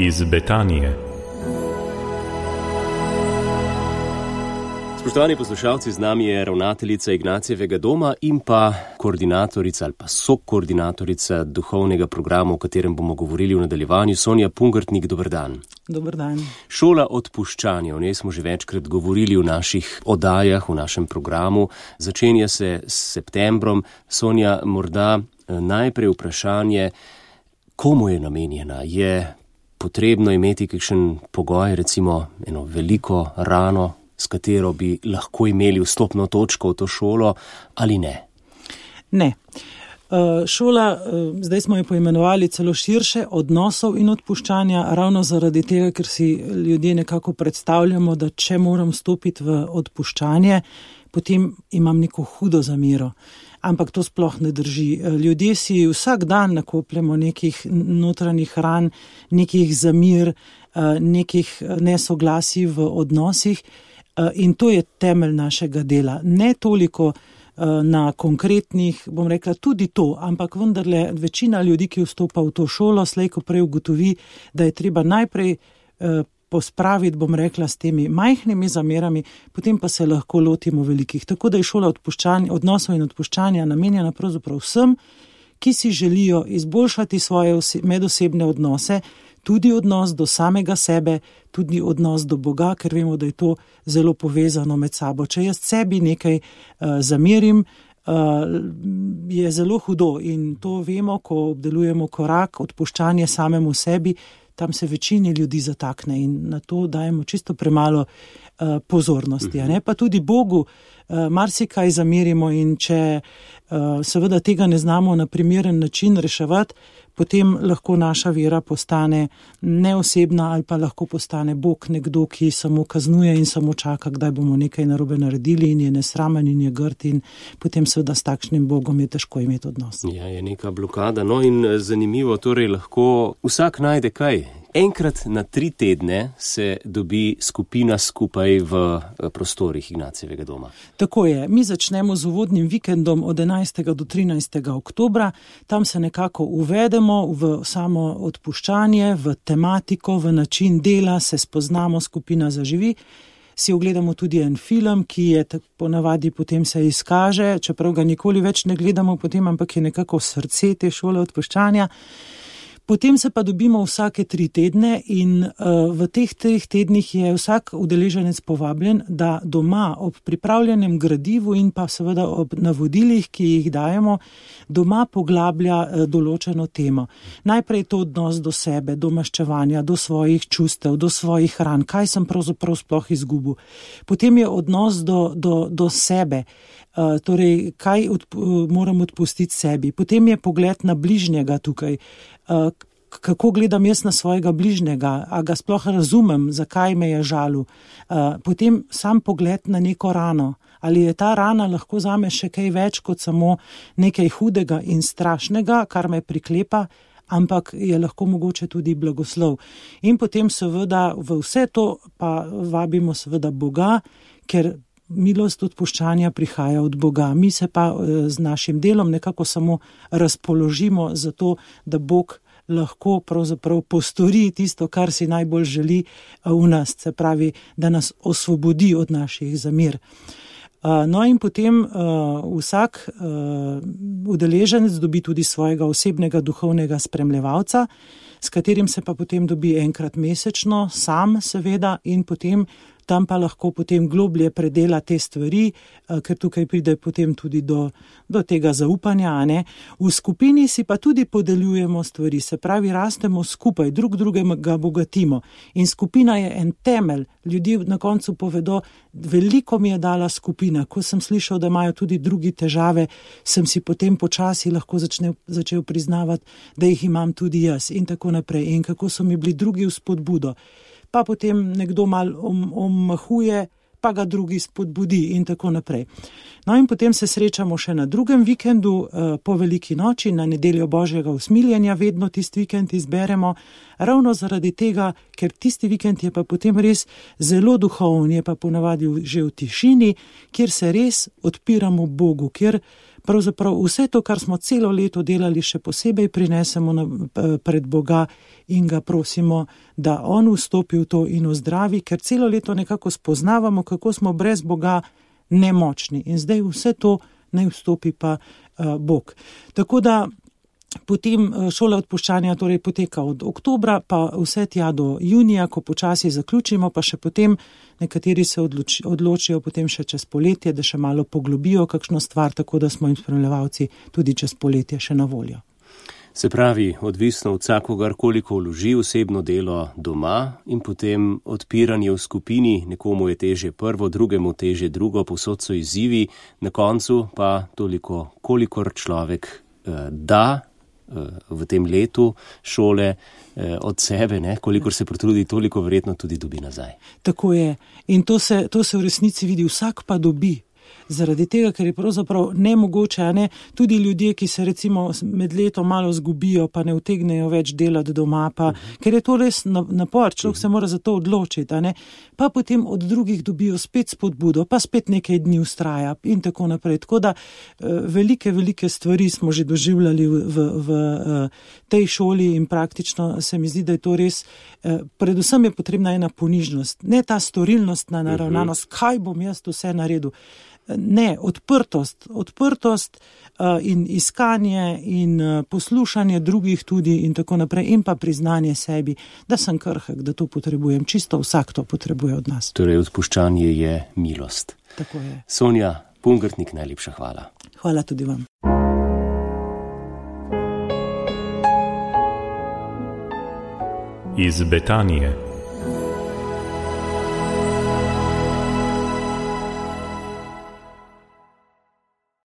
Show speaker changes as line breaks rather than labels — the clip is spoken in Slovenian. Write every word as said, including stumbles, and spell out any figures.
iz Betanije.
Spoštovani poslušalci, z nami je ravnateljica Ignacijevega doma in pa koordinatorica ali pa sokoordinatorica duhovnega programa, o katerem bomo govorili v nadaljevanju, Sonja Pungartnik. Dober dan.
Dober dan.
Šola odpuščanja, o njej smo že večkrat govorili v naših oddajah, v našem programu. Začenja se s septembrom. Sonja, morda najprej vprašanje, komu je namenjena? Je potrebno imeti kakšen pogoj, recimo eno veliko rano, s katero bi lahko imeli vstopno točko v to šolo, ali ne?
Ne. Šola, zdaj smo jo poimenovali celo širše, odnosov in odpuščanja, ravno zaradi tega, ker si ljudje nekako predstavljamo, da če moram stopiti v odpuščanje, potem imam neko hudo zamero. Ampak to sploh ne drži. Ljudje si vsak dan nakopljamo nekih notranjih ran, nekih zamir, nekih nesoglasij v odnosih, in to je temelj našega dela. Ne toliko na konkretnih, bom rekla tudi to, ampak vendarle večina ljudi, ki vstopa v to šolo, slej ko prej ugotovi, da je treba najprej pospraviti, bom rekla, s temi majhnimi zamerami, potem pa se lahko lotimo velikih. Tako da je šola odnosov in odpuščanja namenjena pravzaprav vsem, ki si želijo izboljšati svoje medosebne odnose, tudi odnos do samega sebe, tudi odnos do Boga, ker vemo, da je to zelo povezano med sabo. Če jaz sebi nekaj uh, zamerim, uh, je zelo hudo in to vemo, ko obdelujemo korak, odpuščanje samemu sebi, tam se večini ljudi zatakne in na to dajemo čisto premalo uh, pozornosti. A ne? Pa tudi Bogu uh, marsikaj zamerimo in če uh, seveda tega ne znamo na primeren način reševati, potem lahko naša vera postane neosebna ali pa lahko postane Bog nekdo, ki samo kaznuje in samo čaka, kdaj bomo nekaj narobe naredili in je nesramen in je grd in potem seveda s takšnim Bogom je težko imeti odnos.
Ja, je neka blokada. No in zanimivo, torej lahko vsak najde kaj. Enkrat na tri tedne se dobi skupina skupaj v prostorih Ignacijevega doma.
Tako je. Mi začnemo z uvodnim vikendom od enajstega do trinajstega oktobra. Tam se nekako uvedemo v samo odpuščanje, v tematiko, v način dela, se spoznamo, skupina zaživi. Si ogledamo tudi en film, ki je ponavadi potem se izkaže, čeprav ga nikoli več ne gledamo potem, ampak je nekako srce te šole odpuščanja. Potem se pa dobimo vsake tri tedne in uh, v teh treh tednih je vsak udeleženec povabljen, da doma ob pripravljenem gradivu in pa seveda ob navodilih, ki jih dajemo, doma poglablja uh, določeno temo. Najprej to odnos do sebe, do maščevanja, do svojih čustev, do svojih ran, kaj sem pravzaprav sploh izgubil. Potem je odnos do, do, do sebe, uh, torej kaj odp- moram odpustiti sebi. Potem je pogled na bližnjega tukaj, Uh, kako gledam jaz na svojega bližnjega, a ga sploh razumem, zakaj me je žalil. Uh, potem sam pogled na neko rano, ali je ta rana lahko zame še kaj več kot samo nekaj hudega in strašnega, kar me priklepa, ampak je lahko mogoče tudi blagoslov. In potem seveda v vse to pa vabimo seveda Boga, ker milost odpuščanja prihaja od Boga. Mi se pa z našim delom nekako samo razpoložimo za to, da Bog lahko pravzaprav postori tisto, kar si najbolj želi v nas, se pravi, da nas osvobodi od naših zamer. No in potem uh, vsak uh, udeleženec dobi tudi svojega osebnega duhovnega spremljevalca, s katerim se pa potem dobi enkrat mesečno, sam seveda, in potem tam pa lahko potem globlje predela te stvari, ker tukaj pride potem tudi do, do tega zaupanja. A ne? V skupini si pa tudi podeljujemo stvari, se pravi, rastemo skupaj, drug drugega bogatimo. In skupina je en temelj. Ljudje na koncu povedo, veliko mi je dala skupina. Ko sem slišal, da imajo tudi drugi težave, sem si potem počasi lahko začne, začel priznavati, da jih imam tudi jaz in tako naprej. In kako so mi bili drugi v spodbudo. Pa potem nekdo mal omahuje, pa ga drugi spodbudi in tako naprej. No in potem se srečamo še na drugem vikendu po veliki noči, na nedeljo Božjega usmiljenja, vedno tisti vikend izberemo, ravno zaradi tega, ker tisti vikend je pa potem res zelo duhoven, je pa ponavadi že v tišini, kjer se res odpiramo Bogu, kjer pravzaprav vse to, kar smo celo leto delali, še posebej prinesemo na, pred Boga in ga prosimo, da on vstopi v to in ozdravi, ker celo leto nekako spoznavamo, kako smo brez Boga nemočni. In zdaj vse to naj vstopi pa uh, Bog. Tako da potem šola odpuščanja torej poteka od oktobra, pa vse tja do junija, ko počasi zaključimo, pa še potem nekateri se odloči, odločijo potem še čez poletje, da še malo poglobijo kakšno stvar, tako da smo jim spremljevalci tudi čez poletje še na voljo.
Se pravi, odvisno od vsakogar, koliko vloži osebno delo doma in potem odpiranje v skupini, nekomu je težje prvo, drugemu težje drugo, povsod so izzivi, na koncu pa toliko, kolikor človek eh, da v tem letu šole od sebe, ne? Kolikor se potrudi, toliko verjetno tudi dobi nazaj.
Tako je. In to se, to se v resnici vidi, vsak pa dobi. Zaradi tega, ker je pravzaprav nemogoče, a ne, tudi ljudje, ki se recimo med letom malo zgubijo, pa ne utegnejo več delati doma, pa, uh-huh. ker je to res napor, človek uh-huh. se mora za to odločiti, a ne, pa potem od drugih dobijo spet spodbudo, pa spet nekaj dni ustraja in tako naprej. Tako da velike, velike stvari smo že doživljali v, v, v tej šoli in praktično se mi zdi, da je to res, predvsem je potrebna ena ponižnost, ne ta storilnostna naravnanost, uh-huh. kaj bom jaz vse naredil. Ne, odprtost, odprtost uh, in iskanje in uh, poslušanje drugih tudi in tako naprej in pa priznanje sebi, da sem krhek, da to potrebujem. Čisto vsak to potrebuje od nas.
Torej, odpuščanje je milost.
Tako je.
Sonja Pungartnik, najlepša hvala.
Hvala tudi vam.
Iz Betanije.